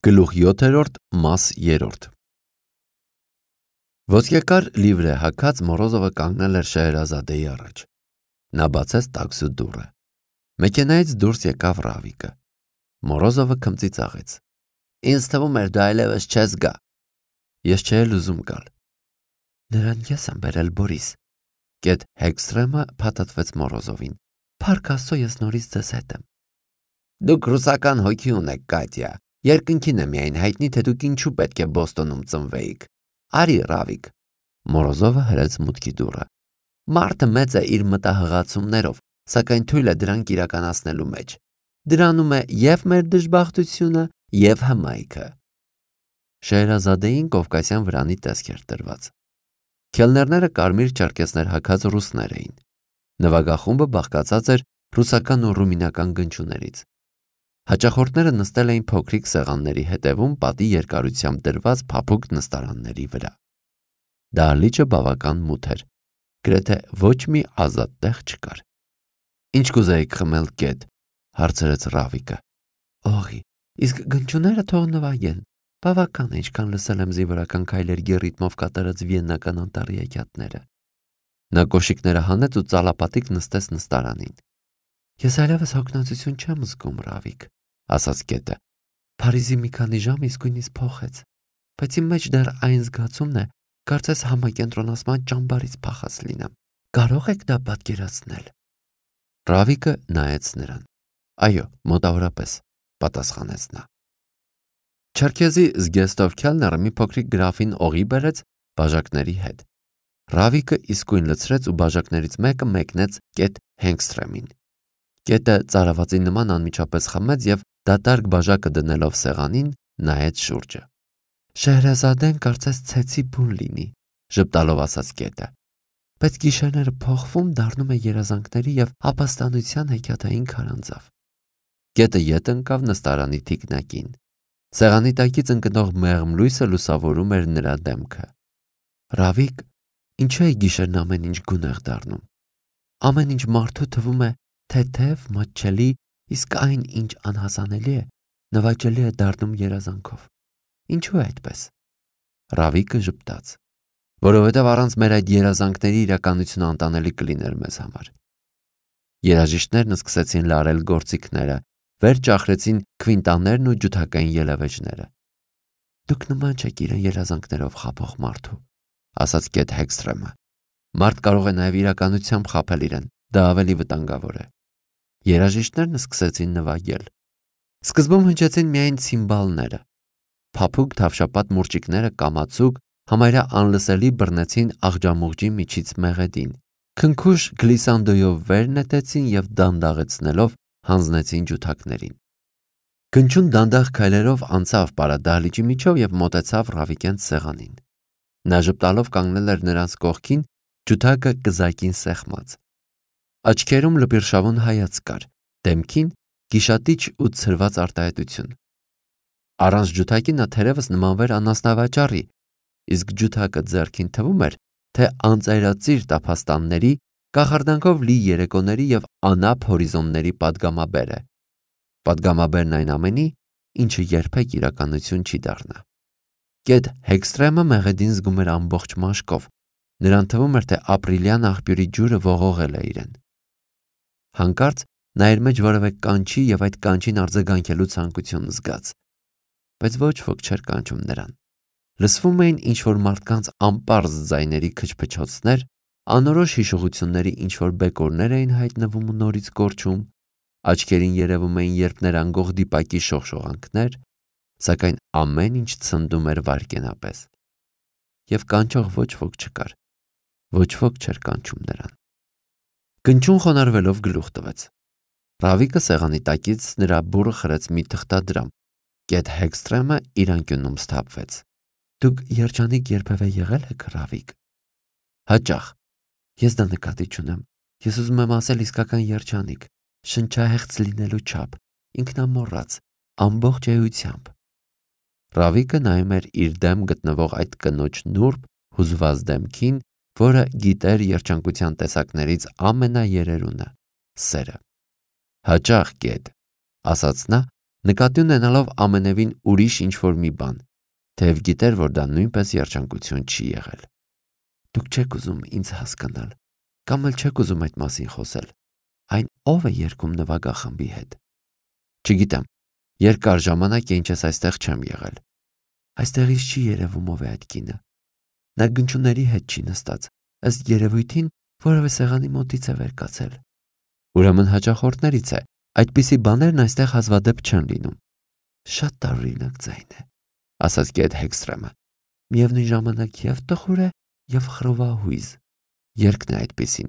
Գլուխ 7-րդ, մաս 3 Ոսկեկար լիվրե հագած Մորոզովը կանգնել էր Շեհրազադեի առաջ։ Նա բացեց տաքսու դուռը։ Մեքենայից դուրս եկավ Ռավիկը։ Մորոզովը քմծիծաղեց։ Ինձ թվում էր դու այլևս չես գա։ Ես չէի ուզում գալ։ Նրան ես եմ բերել Բորիս։ Գետ Հեքստրեմը փաթաթվեց Մորոզովին։ Փառք Աստծո, ես նորից ձեզ հետ եմ։ Դուք ռուսական հոգի ունեք, Կատյա։ Երկնքին է միայն հայտնի, թե դուք ինչու պետք է Բոստոնում ծնվեիք։ Արի, Ռավիկ։ Մորոզովը հրեց մուտքի դուռը։ Մարդը մեծ է իր մտահղացումներով, սակայն թույլ է դրանք իրականացնելու մեջ։ Դրանում է և մեր դժբախտությունը, և հմայքը։ Շեհրազադեին Կովկասյան վրանի տեսք էր տրված։ Քելներները կարմիր չերկեսներ հագած ռուսներ էին։ Նվագախումբը բաղկացած էր ռուսական ու ռումինական գնչուներից։ Հաճախորդները նստել էին փոքրիկ սեղանների հետևում պատի երկարությամբ դրված փափուկ նստարանների վրա։ Դահլիճը բավական մութ էր, գրեթե ոչ մի ազատ տեղ չկար։ Ինչ կուզեիք խմել, Գետ, հարցրեց Ռավիկը։ Օղի, իսկ գնչուները թող նվագեն։ Բավական է, ինչքան լսել եմ զինվորական քայլերի ռիթմով կատարած վիեննական անտառի հեքիաթները։ Նա կոշիկները հանեց ու ծալապատիկ նստեց նստարանին։ Ես այլևս հոգնածություն չեմ զգում, Ռավիկ, ասաց Գետը։ Փարիզի մի քանի ժամ իսկույնից փոխեց, բայց իմ մեջ դեռ այն զգացումն է, կարծես համակենտրոնացման ճամբարից փախած լինեմ։ Կարող եք դա պատկերացնել։ Ռավիկը նայեց նրան։ Այո, մոտավորապես, պատասխանեց նա։ Չերքեզի Զգեստով Քելները մի փոքրիկ գրաֆին օղի բերեց բաժակների հետ։ Ռավիկը իսկույն լցրեց ու բաժակներից մեկը մեկնեց Գետ Հեքստրեմին։ Գետը ծարավածի նման անմիջապես խմեց և դատարկ բաժակը դնելով սեղանին նայեց շուրջը։ Շեհրազադեն կարծես ցեցի բուն լինի, ժպտալով ասաց Գետը։ Բայց գիշերները փոխվում դառնում է երազանքների և ապաստանության հեքիաթային քարանձավ։ Գետը ետ ընկավ նստարանի թիկնակին։ Սեղանի տակից ընկնող մեղմ լույսը լուսավորում էր նրա դեմքը։ Ռավիկ, ինչու է գիշերն ամեն ինչ գունեղ դառնում։ Ամեն ինչ մարդու թվում է թեթև, մատչելի, իսկ այն, ինչ անհասանելի է, նվաճելի է դառնում երազանքով։ Ինչու է այդպես։ Ռավիկը ժպտաց։ Որովհետև առանց մեր այդ երազանքների իրականությունը անտանելի կլիներ մեզ համար։ Երաժիշտներն սկսեցին լարել գործիքները, վեր ճախրեցին քվինտաներն ու ջութակային ելևէջները։ Դուք նման չեք իրեն երազանքներով խաբող մարդու, ասաց Գետ Հեքստրեմը։ Մարդ կարող է նաև իրականությամբ խաբել իրեն, դա ավելի վտանգավոր է։ Երաժիշտներն սկսեցին նվագել։ Սկզբում հնչեցին միայն ցիմբալները։ Փափուկ թավշապատ մուրճիկները կամացուկ, համարյա անլսելի բռնեցին աղջամուղջի միջից մեղեդին։ Քնքուշ գլիսանդոյով վեր նետեցին և դանդաղեցնելով հանձնեցին ջութակներին։ Գնչուն դանդաղ քայլերով անցավ պարադահլիճի միջով և մոտեցավ Ռավիկենց սեղանին։ Նա ժպտալով կանգնել էր նրանց կողքին, ջութակը կզակին սեղմած։ Աչքերում լպիրշավուն հայացք կար, դեմքին գիշատիչ ու ցրված արտահայտություն։ Առանց ջութակի նա թերևս նմանվեր անասնավաճառի, իսկ ջութակը ձեռքին թվում էր, թե անծայրածիր տափաստանների, կախարդանքով լի երեկոների և անապ հորիզոնների պատգամաբեր է։ Պատգամաբերն այն ամենի, ինչը երբեք իրականություն չի դառնա։ Գետ Հեքստրեմը մեղեդին զգում էր ամբողջ մաշկով, նրան թվում էր, թե ապրիլյան աղբյուրի ջուրը ողողել է իրեն։ Հանկարծ նա իր մեջ որևէ կանչի և այդ կանչին արձագանքելու ցանկություն զգաց, բայց ոչ ոք չէր կանչում նրան։ Լսվում էին ինչ-որ մարդկանց անպարզ ձայների քչփչոցներ, անորոշ հիշողությունների ինչ-որ բեկորներ էին հայտնվում ու նորից կորչում, աչքերին երևում էին երբներ անգող դիպակի շողշողանքներ, սակայն ամեն ինչ ցնդում էր վայրկենապես։ Եվ կանչող ոչ ոք չկար, ոչ ոք չէր կանչում նրան։ Գնչուն խոնարհվելով գլուխ տվեց։ Ռավիկը սեղանի տակից նրա բուրը խրեց մի թղթադրամ։ Գետ Հեքստրեմը իր անկյունում սթափվեց։ Դուք երջանիկ երբևէ եղել եք, Ռավիկ։ Հաճախ։ Ես դա նկատի չունեմ։ Ես ուզում եմ ասել իսկական երջանիկ, շնչահեղձ լինելու չափ, ինքնամոռաց, ամբողջ էությամբ։ Ռավիկը նայում էր իր դեմ գտնվող այդ կնոջ նուրբ, հուզված դեմքին, որը գիտեր երջանկության տեսակներից ամենաերերունը՝ սերը։ Հաճախ, Գետ, ասաց նա, նկատի ունենալով ամենևին ուրիշ ինչ-որ մի բան, թեև գիտեր, որ դա նույնպես երջանկություն չի եղել։ Դուք չեք ուզում ինձ հասկանալ, կամ էլ չեք ուզում այդ մասին խոսել։ Այն ով է երգում նվագախմբի հետ։ Չգիտեմ, երկար ժամանակ է ինչ ես այստեղ չեմ եղել։ Այստեղից չի երևում ով է այդ կինը։ Նա գնչուների հետ չի նստած, ըստ երևույթին որևէ սեղանի մոտից է վեր կացել։ Ուրեմն հաճախորդներից է, այդպիսի բաներն այստեղ հազվադեպ չեն լինում։ Շատ տարօրինակ ձայն է, ասաց Գետ Հեքստրեմը։ Միևնույն ժամանակ եւ տխուր է, եւ խռովահույզ։ Երգն է այդպիսին,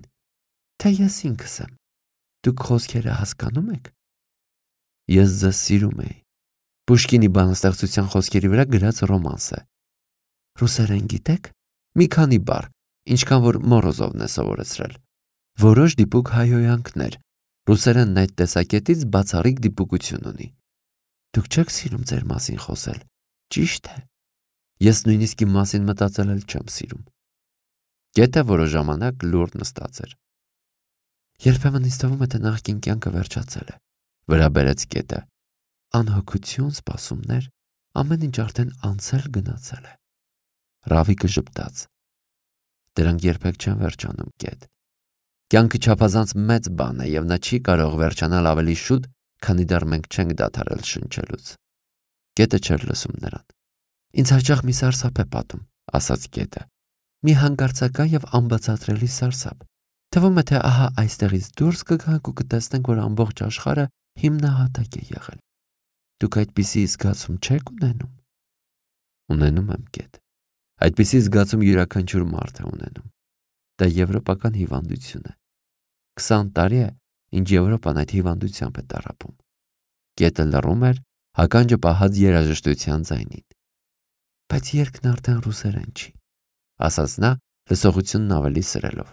թե ես ինքս եմ։ Դուք խոսքերը հասկանում եք։ Ես ձեզ սիրում էի։ Պուշկինի բանաստեղծության խոսքերի վրա գրած ռոմանս է։ Ռուսերեն գիտեք։ Մի քանի բառ, ինչքան որ Մորոզովն է սովորեցրել։ Որոշ դիպուկ հայհոյանքներ։ Ռուսերենն այդ տեսակետից բացառիկ դիպուկություն ունի։ Դուք չեք սիրում ձեր մասին խոսել։ Ճիշտ է։ Ես նույնիսկ իմ մասին մտածել էլ չեմ սիրում։ Գետը որոշ ժամանակ լուռ նստած էր։ Երբեմն ինձ թվում է, թե նախկին կյանքը վերջացել է, վրա բերեց Գետը։ Անհոգություն, սպասումներ, ամեն ինչ արդեն անցել գնացել է։ Ռավիկը ժպտաց։ Դրանք երբեք չեն վերջանում, Գետ։ Կյանքը չափազանց մեծ բան է, եւ նա չի կարող վերջանալ ավելի շուտ, քանի դեռ մենք չենք դադարել շնչելուց։ Գետը չէր լսում նրան։ Ինձ հաճախ մի սարսափ է պատում, ասաց Գետը։ Մի հանկարծական եւ անբացատրելի սարսափ։ Թվում է, թե ահա այստեղից դուրս կգանք ու կտեսնենք, որ ամբողջ աշխարհը հիմնահատակ է եղել։ Դուք այդպիսի զգացում չեք ունենում։ Ունենում եմ, Գետ։ Այդպիսի զգացում յուրաքանչյուր մարդ է ունենում։ Դա եվրոպական հիվանդություն է։ 20 տարի է, ինչ Եվրոպան այդ հիվանդությամբ է տառապում։ Գետը լռում էր, հականջը պահած երաժշտության ձայնին։ Բայց երգն արդեն ռուսերեն չի, ասաց նա լսողությունն ավելի սրելով։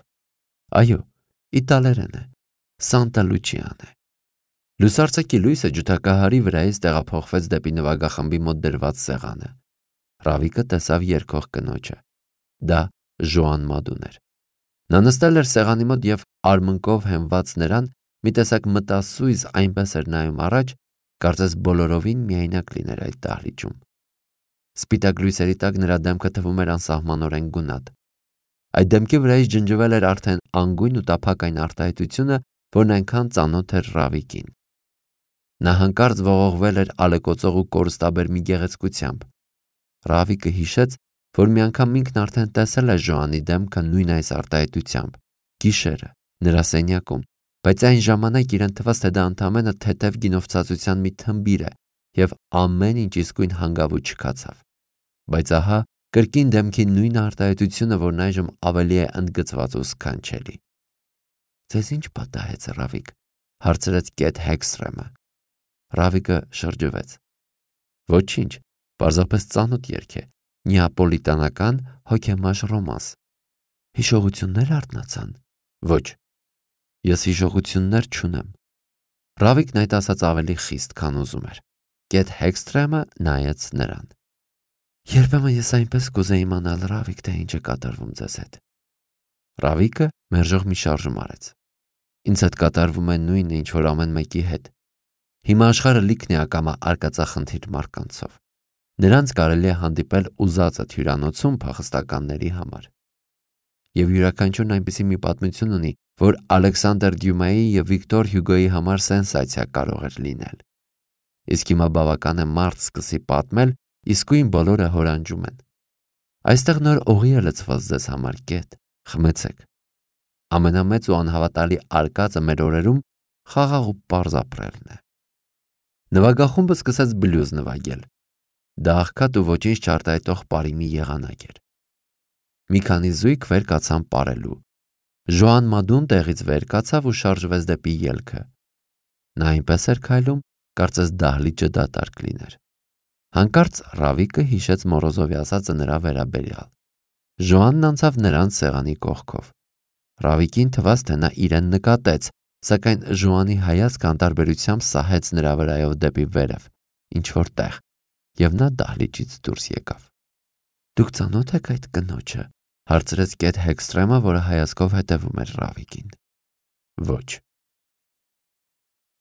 Այո, իտալերեն է, Սանտա Լուչիան է։ Լուսարձակի լույսը ջութակահարի վրայից տեղափոխվեց դեպի նվագախմբի մոտ դրված սեղանը։ Ռավիկը տեսավ երգող կնոջը։ Դա Ժոան Մադուն էր։ Նա նստել էր սեղանի մոտ եւ արմունկով հենված նրան մի տեսակ մտասույզ այնպես էր նայում առաջ, կարծես բոլորովին միայնակ լիներ այդ դահլիճում։ Սպիտակ լույսերի տակ նրա դեմքը թվում էր անսահմանորեն գունատ։ Այդ դեմքի վրայից ջնջվել էր արդեն անգույն ու տափակ այն արտահայտությունը, որն այնքան ծանոթ էր Ռավիկին։ Նա հանկարծ ողողվել էր ալեկոծող ու կորստաբեր մի գեղեցկությամբ։ Ռավիկը հիշեց, որ մի անգամ ինքն արդեն տեսել է Ժոանի դեմքը նույն այս արտահայտությամբ, գիշերը, նրա սենյակում, բայց այն ժամանակ իրեն թվաց, թե դա ընդամենը թեթև գինովցածության մի թմբիր է, եւ ամեն ինչ իսկույն հանգավ ու չքացավ։ Բայց ահա կրկին դեմքի նույն արտահայտությունը, որն այժմ ավելի է ընդգծված ու սքանչելի։ Ձեզ ինչ պատահեց, Ռավիկ, հարցրեց Գետ Հեքստրեմը։ Ռավիկը շրջվեց։ Ոչինչ, պարզապես ծանոթ երգ է, նեապոլիտանական հոգեմաշ ռոմանս։ Հիշողություններ արթնացան։ Ոչ, ես հիշողություններ չունեմ։ Ռավիկն այդ ասած ավելի խիստ, քան ուզում էր։ Գետ Հեքստրեմը նայեց նրան։ Երբեմն ես այնպես կուզեի իմանալ, Ռավիկ, թե ինչ է կատարվում ձեզ հետ։ Ռավիկը մերժող մի շարժում արեց։ Ինձ հետ կատարվում է նույնը, ինչ որ ամեն մեկի հետ։ Հիմա աշխարհը լիքն է ակամա արկածախնդիր մարկանցով։ Նրանց կարելի է հանդիպել ուզածդ հյուրանոցում փախստականների համար։ Եվ յուրաքանչյուրն այնպիսի մի պատմություն ունի, որ Ալեքսանդր Դյումայի եւ Վիկտոր Հյուգոյի համար սենսացիա կարող էր լինել։ Իսկ հիմա բավական է մարդ սկսի պատմել, իսկույն բոլորը հորանջում են։ Այստեղ նոր օղի է լցված ձեզ համար, Գետ, խմեցեք։ Ամենամեծ ու անհավատալի արկածը մեր օրերում խաղաղ ու պարզ ապրելն է։ Նվագախումբը սկսեց բլյուզ նվագել։ Դա աղքատ ու ոչինչ չարտահայտող պարի մի եղանակ էր։ Մի քանի զույգ վեր կացան պարելու։ Ժոան Մադուն տեղից վեր կացավ ու շարժվեց դեպի ելքը։ Նա այնպես էր քայլում, կարծես դահլիճը դատարկ լիներ։ Հանկարծ Ռավիկը հիշեց Մորոզովի ասածը նրա վերաբերյալ։ Ժոանն անցավ նրանց սեղանի կողքով։ Ռավիկին թվաց, թե նա իրեն նկատեց, սակայն Ժոանի հայացքը անտարբերությամբ սահեց նրա վրայով դեպի վերև, ինչ որ տեղ, եւ նա դահլիճից դուրս եկավ։ Դուք ծանոթ եք այդ կնոջը, հարցրեց Գետ Հեքստրեմը, որը հայացքով հետևում էր Ռավիկին։ Ոչ։